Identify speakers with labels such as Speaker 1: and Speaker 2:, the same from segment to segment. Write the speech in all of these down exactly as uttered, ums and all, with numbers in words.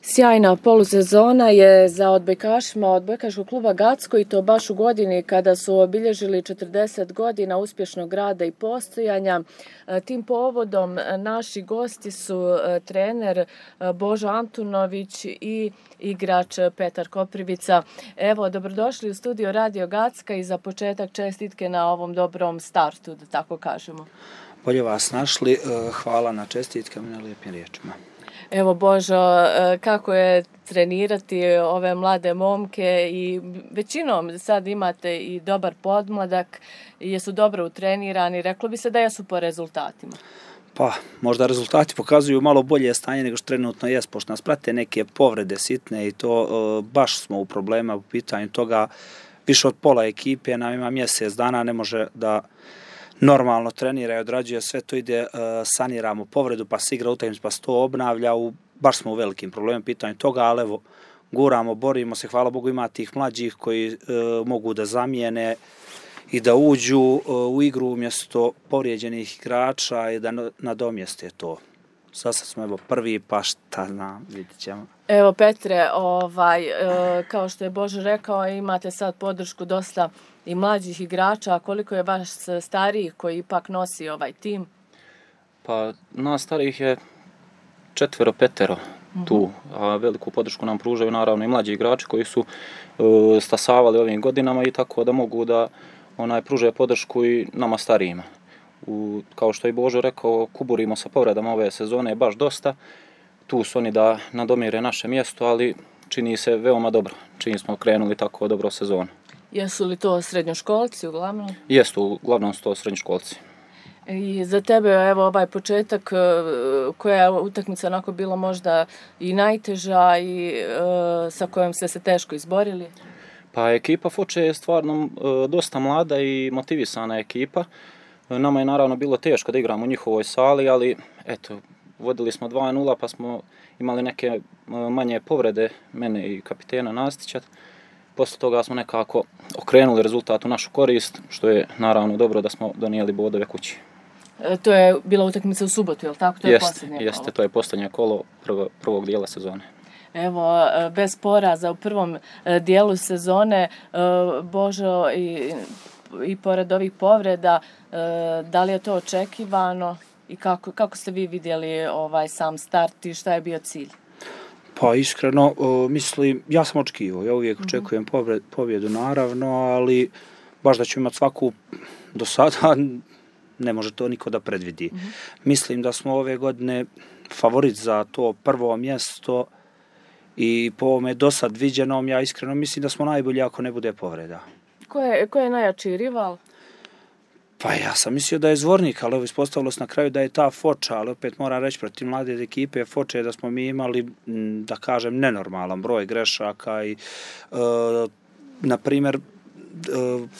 Speaker 1: Sjajna polusezona je za odbojkašima odbojkaškog kluba Gacko i to baš u godini kada su obilježili četrdeset godina uspješnog rada i postojanja. Tim povodom naši gosti su trener Božo Antunović i igrač Petar Koprivica. Evo, dobrodošli u studio Radio Gacka i za početak čestitke na ovom dobrom startu, da tako kažemo.
Speaker 2: Bolje vas našli, hvala na čestitkama i na lijepim riječima.
Speaker 1: Evo Božo, kako je trenirati ove mlade momke i većinom sad imate i dobar podmladak, jesu dobro utrenirani, reklo bi se da jesu po rezultatima.
Speaker 2: Pa, možda rezultati pokazuju malo bolje stanje nego što trenutno jest, pošto nas prate neke povrede sitne i to baš smo u problema u pitanju toga. Više od pola ekipe nam ima mjesec dana, ne može da normalno trenira i odrađuje, sve to ide, saniramo povredu, pa se igra utakmica, pa se to obnavlja, u, baš smo u velikim problemima pitanju toga, ali evo, guramo, borimo se, hvala Bogu ima tih mlađih koji e, mogu da zamijene i da uđu e, u igru umjesto povrijeđenih igrača i da nadomjeste to. Sad smo evo prvi, pa šta znam, vidit ćemo.
Speaker 1: Evo Petre, ovaj, e, kao što je Božo rekao, imate sad podršku dosta i mlađih igrača, a koliko je vaš starijih koji ipak nosi ovaj tim?
Speaker 3: Pa nas starijih je četvero, petero tu, a veliku podršku nam pružaju naravno i mlađi igrači koji su uh, stasavali ovim godinama i tako da mogu da onaj pružaju podršku i nama starijima. U, kao što je Božo rekao, kuburimo sa povredama ove sezone baš dosta. Tu su oni da nadomire naše mjesto, ali čini se veoma dobro. Čini smo krenuli tako dobro sezonu.
Speaker 1: Jesu li to srednjoškolci uglavnom?
Speaker 3: Jesu, uglavnom su to srednjoškolci.
Speaker 1: I za tebe, evo, ovaj početak, koja je utakmica onako bila možda i najteža i e, sa kojom ste se teško izborili?
Speaker 3: Pa ekipa Foče je stvarno e, dosta mlada i motivisana ekipa. Nama je naravno bilo teško da igramo u njihovoj sali, ali eto, vodili smo dva nula pa smo imali neke manje povrede, mene i kapitena Nastića. Posle toga smo nekako okrenuli rezultat u našu korist, što je naravno dobro da smo donijeli bodove kući.
Speaker 1: E, to je bila utakmica u subotu, je li tako? To je
Speaker 3: Jest,
Speaker 1: posljednje
Speaker 3: jeste,
Speaker 1: kolo.
Speaker 3: to je posljednje kolo prvo, prvog dijela sezone.
Speaker 1: Evo, bez poraza u prvom dijelu sezone, Božo, i, i pored ovih povreda, da li je to očekivano i kako, kako ste vi vidjeli ovaj sam start i šta je bio cilj?
Speaker 2: Pa iskreno, mislim, ja sam očekivao, ja uvijek očekujem pobjedu naravno, ali baš da ću imati svaku do sada, ne može to niko da predvidi. Mm-hmm. Mislim da smo ove godine favorit za to prvo mjesto i po ovome do sad viđenom, ja iskreno mislim da smo najbolji ako ne bude povreda.
Speaker 1: Ko je, ko je najjači rival?
Speaker 2: Pa ja sam mislio da je Zvornik, ali evo ispostavilo se na kraju da je ta Foča, ali opet moram reći protiv mlade ekipe Foče da smo mi imali, da kažem, nenormalan broj grešaka i, e, na primjer, e,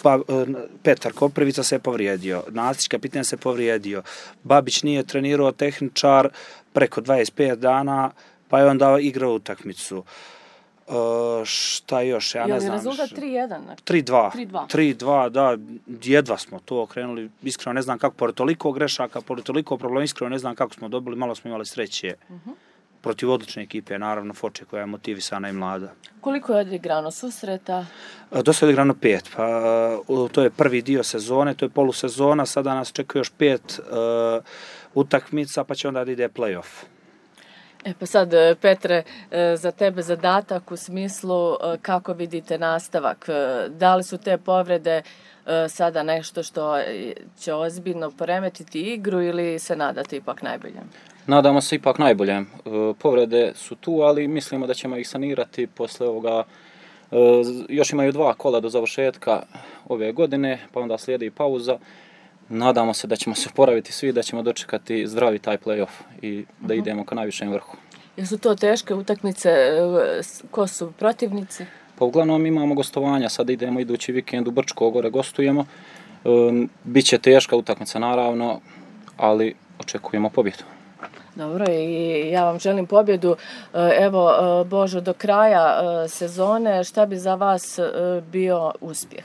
Speaker 2: pa, e, Petar Koprivica se je povrijedio, Nastić kapitan se povrijedio, Babić nije trenirao tehničar preko dvadeset pet dana, pa je onda igrao utakmicu. Uh, šta još, ja ne znam.
Speaker 1: Je li rezultat tri jedan?
Speaker 2: tri dva. tri dva, da, jedva smo to okrenuli. Iskreno ne znam kako, pored toliko grešaka, pored toliko problema, iskreno ne znam kako smo dobili, malo smo imali sreće. Uh-huh. Protiv odlične ekipe, naravno, Foče koja je motivisana i mlada.
Speaker 1: Koliko je odigrano susreta?
Speaker 2: Uh, dosta je odigrano pet, pa uh, to je prvi dio sezone, to je polusezona, sada nas čeka još pet uh, utakmica, pa će onda da ide play-off.
Speaker 1: E pa sad, Petre, za tebe zadatak u smislu kako vidite nastavak. Da li su te povrede sada nešto što će ozbiljno poremetiti igru ili se nadate ipak najboljem?
Speaker 3: Nadamo se ipak najboljem. Povrede su tu, ali mislimo da ćemo ih sanirati posle ovoga. Još imaju dva kola do završetka ove godine, pa onda slijedi pauza. Nadamo se da ćemo se oporaviti svi, da ćemo dočekati zdravi taj play-off i da uh-huh. idemo ka najvišem vrhu. Jesu
Speaker 1: to teške utakmice? Ko su protivnici?
Speaker 3: Pa uglavnom imamo gostovanja, sad idemo idući vikend u Brčko, gore gostujemo. Um, Biće teška utakmica naravno, ali očekujemo pobjedu.
Speaker 1: Dobro, i ja vam želim pobjedu. Evo, Božo, do kraja sezone, šta bi za vas bio uspjeh?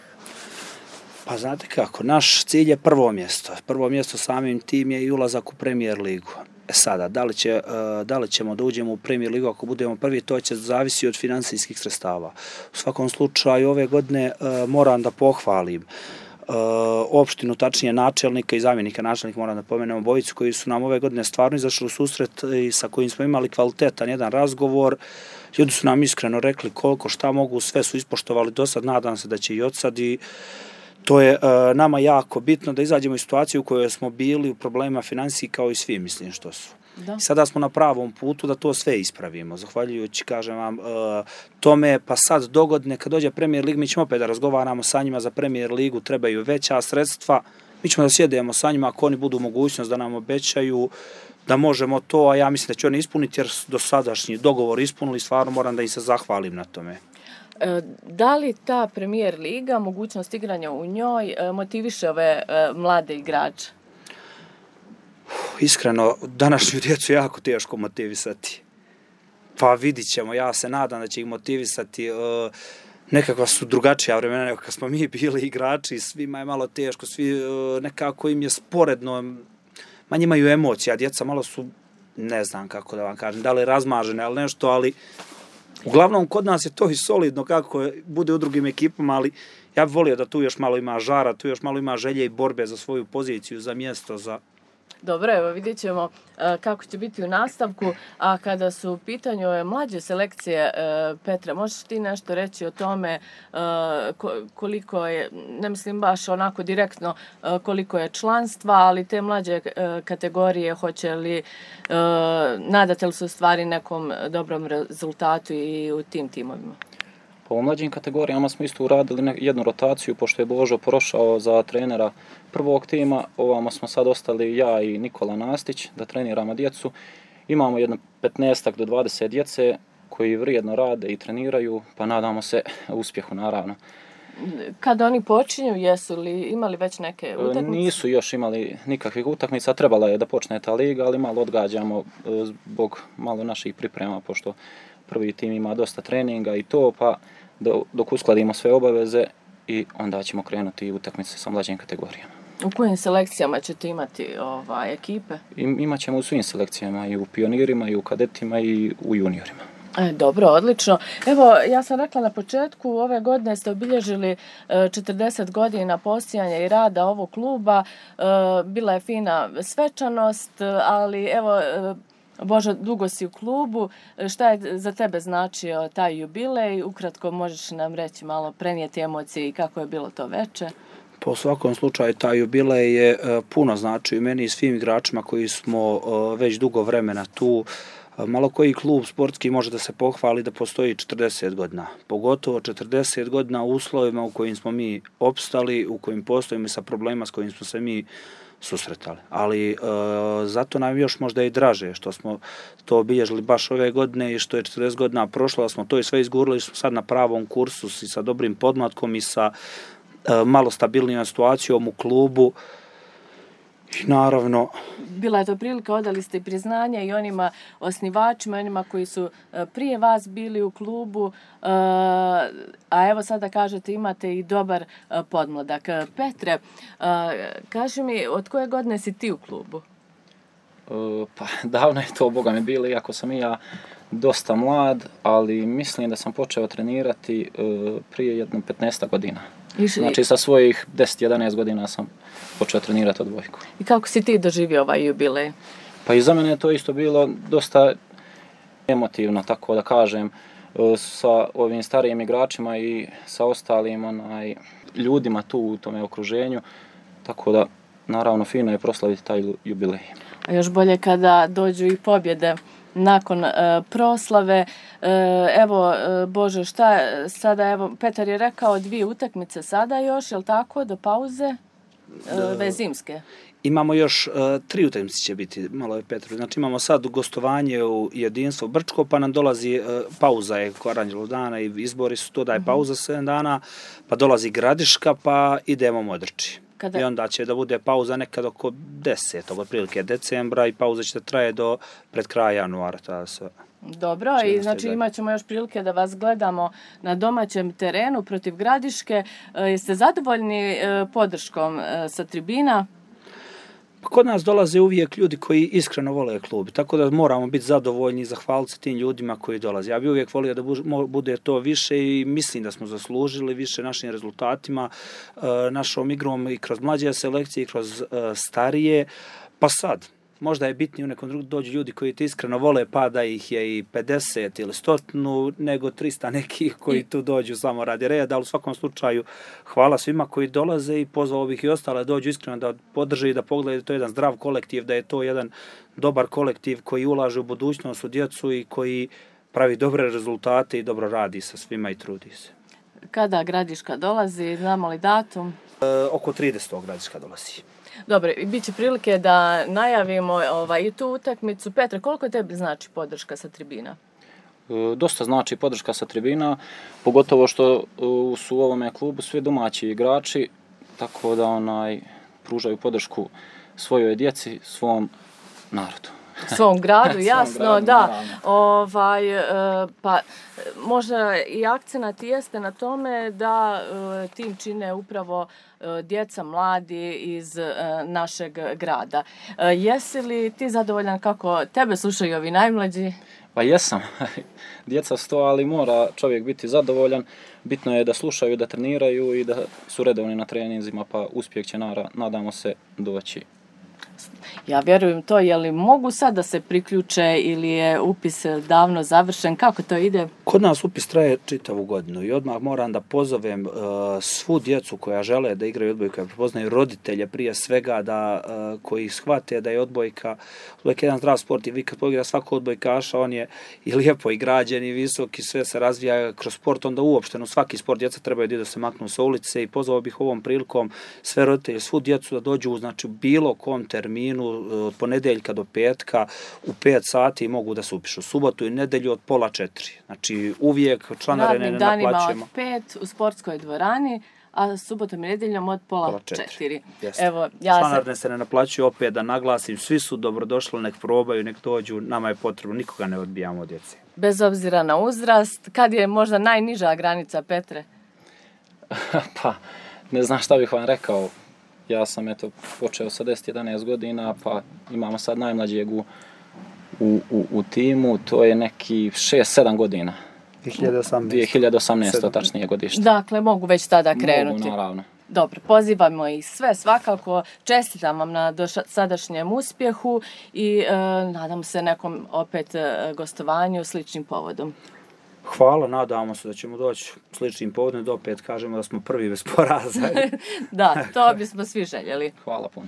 Speaker 2: Pa znate kako, naš cilj je prvo mjesto. Prvo mjesto samim tim je i ulazak u Premier ligu. E sada, da li, će, da li ćemo da uđemo u Premier ligu ako budemo prvi, to će zavisi od finansijskih sredstava. U svakom slučaju ove godine moram da pohvalim opštinu, tačnije načelnika i zamjenika načelnika, moram da pomenem obojicu, koji su nam ove godine stvarno izašli u susret i sa kojim smo imali kvalitetan jedan razgovor. Ljudi su nam iskreno rekli koliko šta mogu, sve su ispoštovali do sad, nadam se da će i od sad i to je uh, nama jako bitno da izađemo iz situacije u kojoj smo bili u problemima finansiji kao i svi, mislim što su. Da. Sada smo na pravom putu da to sve ispravimo. Zahvaljujući, kažem vam, uh, tome, pa sad dogodine kad dođe Premier Lig, mi ćemo opet da razgovaramo sa njima za Premier Ligu, trebaju veća sredstva, mi ćemo da sjedemo sa njima ako oni budu mogućnost da nam obećaju da možemo to, a ja mislim da će oni ispuniti jer do sadašnji dogovor ispunili, stvarno moram da im se zahvalim na tome.
Speaker 1: Da li ta Premier Liga, mogućnost igranja u njoj, motiviše ove mlade igrače?
Speaker 2: Iskreno, današnju djecu jako teško motivisati. Pa vidit ćemo, ja se nadam da će ih motivisati. Nekakva su drugačija vremena nego kad smo mi bili igrači, svima je malo teško, svi nekako im je sporedno, manje imaju emocija, djeca malo su, ne znam kako da vam kažem, da li razmažene, ali nešto, ali uglavnom kod nas je to i solidno kako bude u drugim ekipama, ali ja bih volio da tu još malo ima žara, tu još malo ima želje i borbe za svoju poziciju, za mjesto, za...
Speaker 1: Dobro, evo vidjet ćemo kako će biti u nastavku, a kada su u pitanju ove mlađe selekcije, Petre, možeš ti nešto reći o tome koliko je, ne mislim baš onako direktno koliko je članstva, ali te mlađe kategorije, hoće li, nadate li se u stvari nekom dobrom rezultatu i u tim timovima?
Speaker 3: Po mlađim kategorijama smo isto uradili jednu rotaciju, pošto je Božo prošao za trenera prvog tima, ovamo smo sad ostali ja i Nikola Nastić da treniramo djecu. Imamo jedno petnaestak do dvadeset djece koji vrijedno rade i treniraju, pa nadamo se uspjehu naravno.
Speaker 1: Kada oni počinju, jesu li imali već neke utakmice?
Speaker 3: Nisu još imali nikakvih utakmica, trebala je da počne ta liga, ali malo odgađamo zbog malo naših priprema, pošto prvi tim ima dosta treninga i to, pa dok uskladimo sve obaveze i onda ćemo krenuti utakmice sa mlađim kategorijama.
Speaker 1: U kojim selekcijama ćete imati ovaj, ekipe?
Speaker 3: I, imat ćemo u svim selekcijama, i u pionirima, i u kadetima, i u juniorima.
Speaker 1: E, dobro, odlično. Evo, ja sam rekla na početku, ove godine ste obilježili četrdeset godina postojanja i rada ovog kluba. E, bila je fina svečanost, ali evo, Božo, dugo si u klubu. Šta je za tebe značio taj jubilej? Ukratko možeš nam reći malo, prenijeti emocije i kako je bilo to veče?
Speaker 2: Po svakom slučaju, taj jubilej je puno značio i meni i svim igračima koji smo već dugo vremena tu. Malo koji klub sportski može da se pohvali da postoji četrdeset godina. Pogotovo četrdeset godina u uslovima u kojim smo mi opstali, u kojim postojimo sa problema s kojim smo se mi susretali. Ali e, zato nam još možda i draže što smo to obilježili baš ove godine i što je četrdeset godina prošlo, da smo to i sve izgurili, smo sad na pravom kursu i sa dobrim podmlatkom i sa e, malo stabilnijom situacijom u klubu. I naravno...
Speaker 1: Bila je to prilika, odali ste i priznanje i onima osnivačima, onima koji su prije vas bili u klubu, a evo sada kažete imate i dobar podmladak. Petre, kaži mi, od koje godine si ti u klubu?
Speaker 3: Pa davno je to, Boga mi bili, iako sam i ja dosta mlad, ali mislim da sam počeo trenirati prije jedno petnaest godina. Znači sa svojih deset jedanaest godina sam počeo trenirati odbojku.
Speaker 1: I kako si ti doživio ovaj jubilej?
Speaker 3: Pa i za mene je to isto bilo dosta emotivno, tako da kažem, sa ovim starijim igračima i sa ostalim onaj, ljudima tu u tome okruženju, tako da naravno fino je proslaviti taj jubilej.
Speaker 1: A još bolje kada dođu i pobjede nakon e, proslave. E, evo, e, Bože, šta sada, evo, Petar je rekao dvije utakmice sada još, je li tako, do pauze, e, ve zimske?
Speaker 2: Imamo još uh, tri utakmice će biti, malo je Petru. Znači imamo sad gostovanje u Jedinstvo Brčko, pa nam dolazi uh, pauza je Aranđelov dana i izbori su to da je pauza sedam dana, pa dolazi Gradiška, pa idemo Modriči. Kada... I onda će da bude pauza nekad oko desetog otprilike decembra i pauza će da traje do pred kraja januara. Tada se...
Speaker 1: Dobro, i znači imat ćemo još prilike da vas gledamo na domaćem terenu protiv Gradiške. Jeste zadovoljni podrškom sa tribina?
Speaker 2: Pa kod nas dolaze uvijek ljudi koji iskreno vole klub, tako da moramo biti zadovoljni i zahvaliti se tim ljudima koji dolaze. Ja bih uvijek volio da bude to više i mislim da smo zaslužili više našim rezultatima, našom igrom i kroz mlađe selekcije i kroz starije. Pa sad, možda je bitnije u nekom drugom dođu ljudi koji te iskreno vole, pa da ih je i pedeset ili stotinu, nego trista nekih koji tu dođu samo radi reda, ali u svakom slučaju hvala svima koji dolaze i pozvao bih i ostale dođu iskreno da podrže i da pogledaju da to je jedan zdrav kolektiv, da je to jedan dobar kolektiv koji ulaže u budućnost, u djecu i koji pravi dobre rezultate i dobro radi sa svima i trudi se.
Speaker 1: Kada Gradiška dolazi, znamo li datum?
Speaker 2: E, oko tridesetog Gradiška dolazi.
Speaker 1: Dobro, i bit će prilike da najavimo ovaj, i tu utakmicu. Petre, koliko tebi znači podrška sa tribina?
Speaker 3: E, dosta znači podrška sa tribina, pogotovo što e, su u ovome klubu svi domaći igrači, tako da onaj pružaju podršku svojoj djeci, svom narodu.
Speaker 1: Svom gradu, jasno,
Speaker 3: Svom gradu,
Speaker 1: da. Ovaj, pa možda i akcenat jeste na tome da tim čine upravo djeca, mladi iz našeg grada. Jesi li ti zadovoljan kako tebe slušaju ovi najmlađi?
Speaker 3: Pa jesam. Djeca su to, ali mora čovjek biti zadovoljan. Bitno je da slušaju, da treniraju i da su redovni na treninzima, pa uspjeh će, nadamo se, doći.
Speaker 1: Ja vjerujem to, je li mogu sad da se priključe ili je upis davno završen, kako to ide?
Speaker 2: Kod nas upis traje čitavu godinu i odmah moram da pozovem uh, svu djecu koja žele da igraju odbojku, koja prepoznaju roditelje prije svega, da uh, koji shvate da je odbojka, odbojka je jedan zdrav sport i vi kad pogleda svako odbojkaša, on je i lijepo i građen i visok i sve se razvija kroz sport, onda uopšteno svaki sport djeca trebaju da se maknu sa ulice i pozvao bih ovom prilikom sve roditelje, svu djecu da dođu znači, u bilo kom terminu od ponedeljka do petka u pet sati mogu da se upišu. Subotu i nedelju od pola četiri. Znači uvijek članarine ne naplaćujemo.
Speaker 1: Radnim danima od pet u sportskoj dvorani, a subotom i nedeljom od pola, pola četiri. četiri.
Speaker 2: Evo, ja članarine se... se ne naplaćuju, opet da naglasim, svi su dobrodošli, nek probaju, nek dođu, nama je potrebno, nikoga ne odbijamo od djece.
Speaker 1: Bez obzira na uzrast, kad je možda najniža granica, Petre?
Speaker 3: Pa, ne znam šta bih vam rekao. Ja sam eto počeo sa deset jedanaest godina, pa imamo sad najmlađeg u, u, u, u timu, to je neki šest sedam godina. dvije hiljade osamnaeste tačnije godište.
Speaker 1: Dakle, mogu već tada krenuti.
Speaker 3: Mogu, naravno.
Speaker 1: Dobro, pozivamo ih sve svakako, čestitam vam na sadašnjem uspjehu i e, nadam se nekom opet e, gostovanju sličnim povodom.
Speaker 2: Hvala, nadamo se da ćemo doći sličnim povodom da opet kažemo da smo prvi bez poraza.
Speaker 1: Da, to bismo svi željeli.
Speaker 3: Hvala puno.